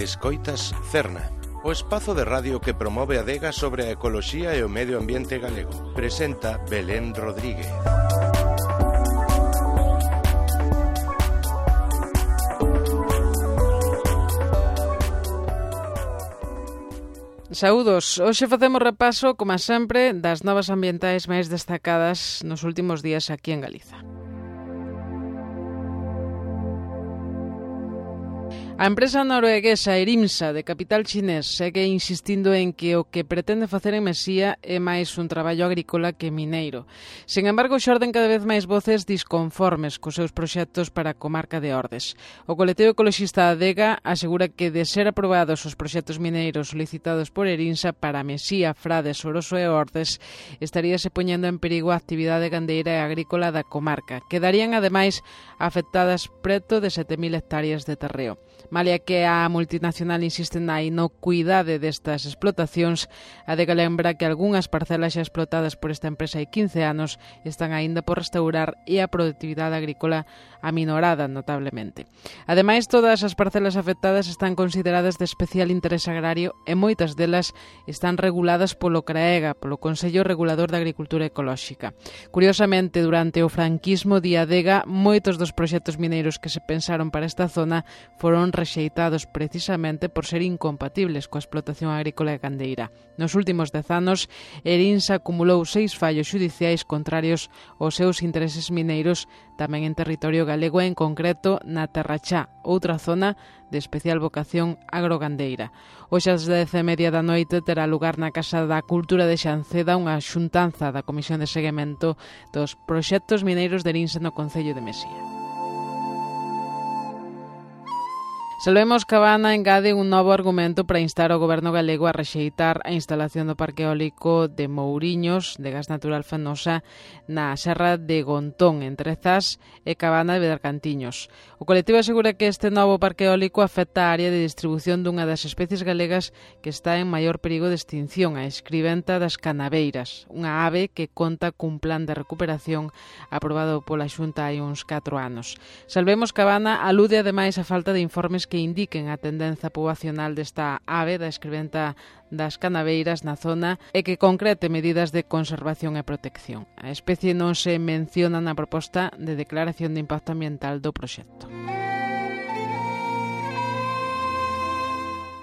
Escoitas Cerna, o espazo de radio que promove a adega sobre a ecoloxía e o medio ambiente galego. Presenta Belén Rodríguez. Saúdos, hoxe facemos repaso, como sempre, das novas ambientais máis destacadas nos últimos días aquí en Galiza. A empresa norueguesa Erimsa, de capital chinés, segue insistindo en que o que pretende facer en Mesía é máis un traballo agrícola que mineiro. Sen embargo, xorden cada vez máis voces disconformes cos seus proxectos para a comarca de Ordes. O colectivo ecoloxista Adega asegura que, de ser aprobados os proxectos mineiros solicitados por Erimsa para Mesía, Frades, Oroso e Ordes, estaríase poñendo en perigo a actividade gandeira e agrícola da comarca. Quedarían, ademais, afectadas preto de 7.000 hectáreas de terreo. Malia que a multinacional insiste na inocuidade destas explotacións, a Adega lembra que algunhas parcelas xa explotadas por esta empresa hai 15 anos están aínda por restaurar e a produtividade agrícola aminorada notablemente. Ademais, todas as parcelas afectadas están consideradas de especial interese agrario e moitas delas están reguladas polo CRAEGA, polo Consello Regulador da Agricultura Ecolóxica. Curiosamente, durante o franquismo de Adega, moitos dos proxectos mineiros que se pensaron para esta zona foron rexeitados precisamente por ser incompatibles coa explotación agrícola e gandeira. Nos últimos 10 anos, Erimsa acumulou 6 fallos xudiciais contrarios aos seus intereses mineiros, tamén en territorio galego e en concreto na Terrachá, outra zona de especial vocación agrogandeira. Hoxe ás 10:30 da noite terá lugar na Casa da Cultura de Xanceda unha xuntanza da Comisión de Seguimento dos Proxectos Mineiros de Erimsa no Concello de Mesía. Salvemos Cabana engade un novo argumento para instar ao goberno galego a rexeitar a instalación do parque eólico de Mouriños de gas natural fenosa na serra de Gontón, entre Zas e Cabana de Bergantiños. O colectivo asegura que este novo parque eólico afecta a área de distribución dunha das especies galegas que está en maior perigo de extinción, a escribenta das canaveiras, unha ave que conta cun plan de recuperación aprobado pola Xunta hai uns 4 anos. Salvemos Cabana alude ademais a falta de informes que indiquen a tendenza poboacional desta ave da escribenta das canaveiras na zona e que concrete medidas de conservación e protección. A especie non se menciona na proposta de declaración de impacto ambiental do proxecto.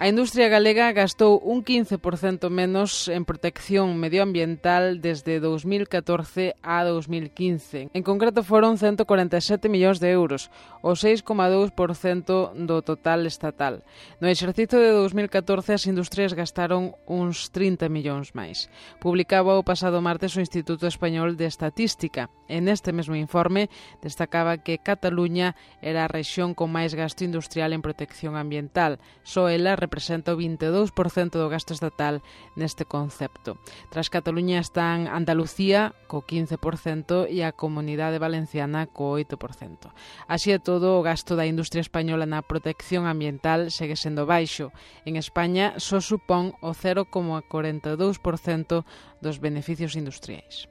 A industria galega gastou un 15% menos en protección medioambiental desde 2014 a 2015. En concreto foron 147 millóns de euros, o 6,2% do total estatal. No exercicio de 2014 as industrias gastaron uns 30 millóns máis. Publicaba o pasado martes o Instituto Español de Estatística. En este mesmo informe destacaba que Cataluña era a rexión con máis gasto industrial en protección ambiental. Só ela representa o 22% do gasto estatal neste concepto. Tras Cataluña están Andalucía co 15% e a Comunidade Valenciana co 8%. Así e todo, o gasto da industria española na protección ambiental segue sendo baixo. En España só supón o 0,42% dos beneficios industriais.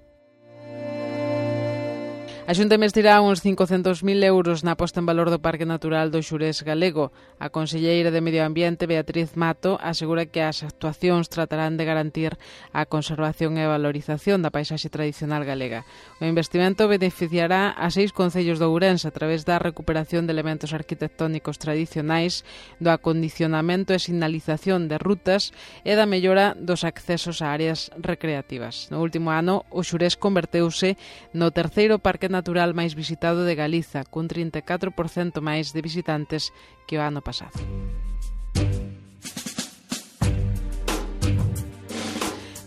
A Xunta investirá uns 500.000 euros na posta en valor do Parque Natural do Xurés galego. A conselleira de Medio Ambiente, Beatriz Mato, asegura que as actuacións tratarán de garantir a conservación e a valorización da paisaxe tradicional galega. O investimento beneficiará a 6 concellos de Ourense a través da recuperación de elementos arquitectónicos tradicionais, do acondicionamento e sinalización de rutas e da mellora dos accesos a áreas recreativas. No último ano, o Xurés converteuse no terceiro parque natural máis visitado de Galiza, cun 34% máis de visitantes que o ano pasado.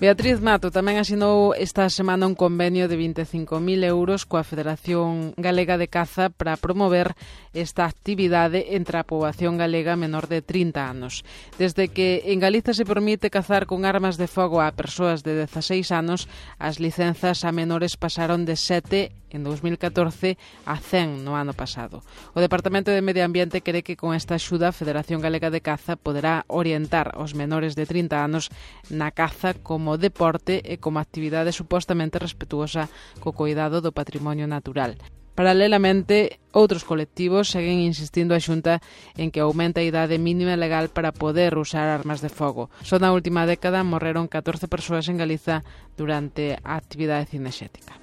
Beatriz Mato tamén asinou esta semana un convenio de 25.000 euros coa Federación Galega de Caza para promover esta actividade entre a poboación galega menor de 30 anos. Desde que en Galiza se permite cazar con armas de fogo a persoas de 16 anos, as licenzas a menores pasaron de 7 en 2014 a 100 no ano pasado. O Departamento de Medio Ambiente cree que con esta axuda a Federación Galega de Caza poderá orientar os menores de 30 anos na caza como deporte e como actividade supostamente respetuosa co coidado do patrimonio natural. Paralelamente, outros colectivos seguen insistindo a Xunta en que aumente a idade mínima legal para poder usar armas de fogo. Só na última década morreron 14 persoas en Galiza durante a actividade cinexética.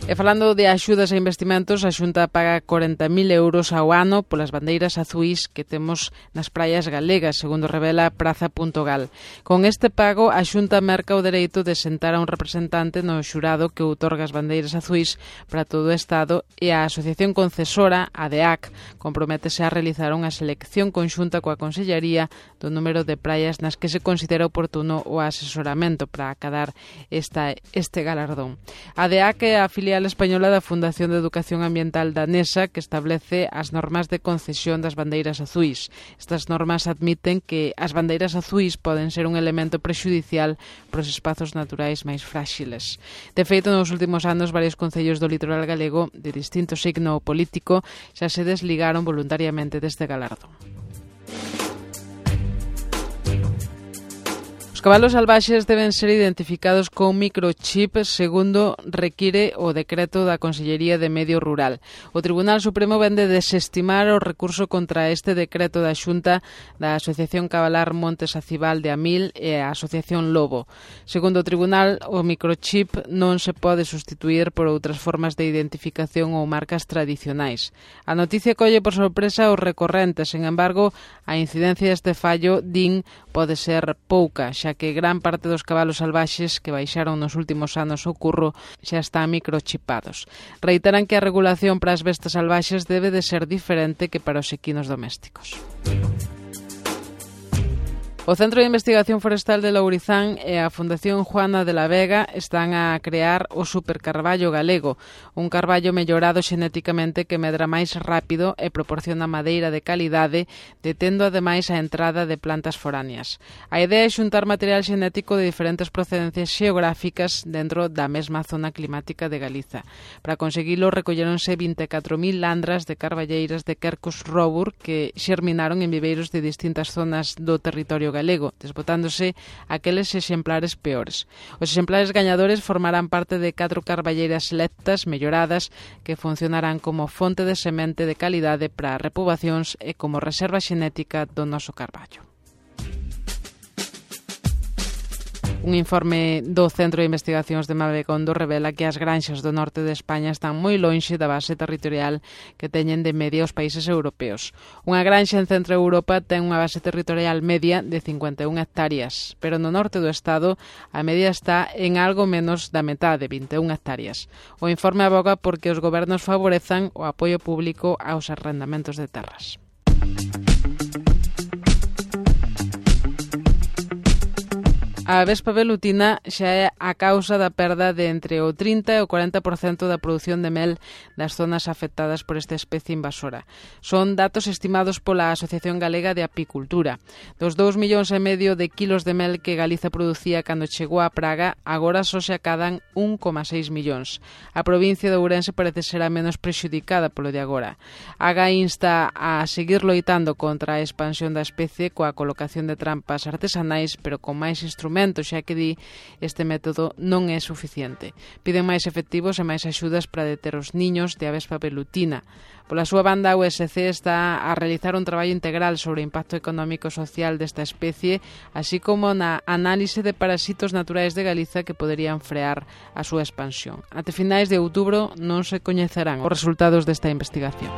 E falando de axudas e investimentos, a Xunta paga 40.000 euros ao ano polas bandeiras azuís que temos nas praias galegas, segundo revela Praza.gal. Con este pago, a Xunta merca o dereito de sentar a un representante no xurado que outorga as bandeiras azuís para todo o Estado, e a Asociación Concesora, a DEAC, comprométese a realizar unha selección conxunta coa Consellería do número de praias nas que se considera oportuno o asesoramento para acadar este galardón. A DEAC é a filial española da Fundación de Educación Ambiental danesa, que establece as normas de concesión das bandeiras azuís. Estas normas admiten que as bandeiras azuís poden ser un elemento prexudicial para os espazos naturais máis fráxiles. De feito, nos últimos anos, varios concellos do litoral galego de distinto signo político xa se desligaron voluntariamente deste galardón. Os cabalos salvaxes deben ser identificados con microchip segundo require o decreto da Consellería de Medio Rural. O Tribunal Supremo vende desestimar o recurso contra este decreto da Xunta da Asociación Cabalar Montes Acibal de Amil e a Asociación Lobo. Segundo o Tribunal, o microchip non se pode sustituir por outras formas de identificación ou marcas tradicionais. A noticia colle por sorpresa os recorrentes, sen embargo, a incidencia deste fallo, din, pode ser pouca, xa que gran parte dos cabalos salvaxes que baixaron nos últimos anos ao curro xa están microchipados. Reiteran que a regulación para as bestas salvaxes debe de ser diferente que para os equinos domésticos. O Centro de Investigación Forestal de Lourizán e a Fundación Juana de la Vega están a crear o supercarballo galego, un carballo mellorado xenéticamente que medra máis rápido e proporciona madeira de calidade, detendo ademais a entrada de plantas foráneas. A idea é xuntar material xenético de diferentes procedencias xeográficas dentro da mesma zona climática de Galiza. Para conseguilo recolleronse 24.000 landras de carballeiras de Quercus robur que xerminaron en viveiros de distintas zonas do territorio galego, desbotándose aqueles exemplares peores. Os exemplares gañadores formarán parte de 4 carballeiras selectas melloradas que funcionarán como fonte de semente de calidade para repobacións e como reserva xenética do noso carballo. Un informe do Centro de Investigacións de Mabecondo revela que as granxas do norte de España están moi lonxe da base territorial que teñen de media os países europeos. Unha granxa en Centro Europa ten unha base territorial media de 51 hectáreas, pero no norte do estado a media está en algo menos da metade, 21 hectáreas. O informe aboga porque os gobernos favorezan o apoio público aos arrendamentos de terras. A vespa velutina xa é a causa da perda de entre o 30 e o 40% da produción de mel das zonas afectadas por esta especie invasora. Son datos estimados pola Asociación Galega de Apicultura. Dos 2,5 millóns de kilos de mel que Galiza producía cando chegou a praga, agora só se acadan 1,6 millóns. A provincia de Ourense parece ser a menos prexudicada polo de agora. AGA insta a seguir loitando contra a expansión da especie coa colocación de trampas artesanais, pero con máis instrumentos, xa que di este método non é suficiente. Piden máis efectivos e máis axudas para deter os niños de avespa velutina. Pola súa banda, a USC está a realizar un traballo integral sobre o impacto económico e social desta especie, así como na análise de parasitos naturais de Galiza que poderían frear a súa expansión. Até finais de outubro non se coñecerán os resultados desta investigación.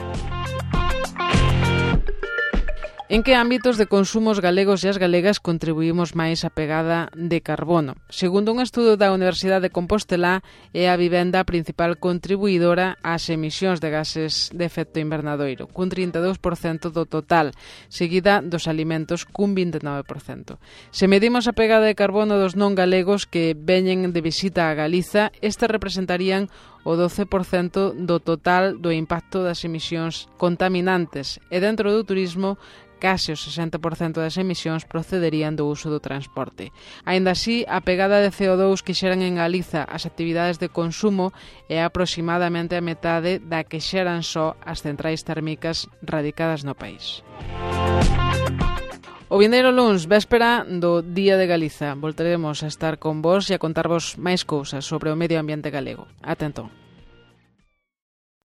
En que ámbitos de consumo os galegos e as galegas contribuímos máis á pegada de carbono? Segundo un estudo da Universidade de Compostela, é a vivenda a principal contribuidora ás emisións de gases de efecto invernadoiro, cun 32% do total, seguida dos alimentos cun 29%. Se medimos a pegada de carbono dos non galegos que veñen de visita a Galiza, estes representarían o 12% do total do impacto das emisións contaminantes, e dentro do turismo, case o 60% das emisións procederían do uso do transporte. Aínda así, a pegada de CO2 que xeran en Galiza as actividades de consumo é aproximadamente a metade da que xeran só as centrais térmicas radicadas no país. O vindeiro luns, véspera do Día de Galiza, voltaremos a estar con vos e a contarvos máis cousas sobre o medio ambiente galego. Ata entón.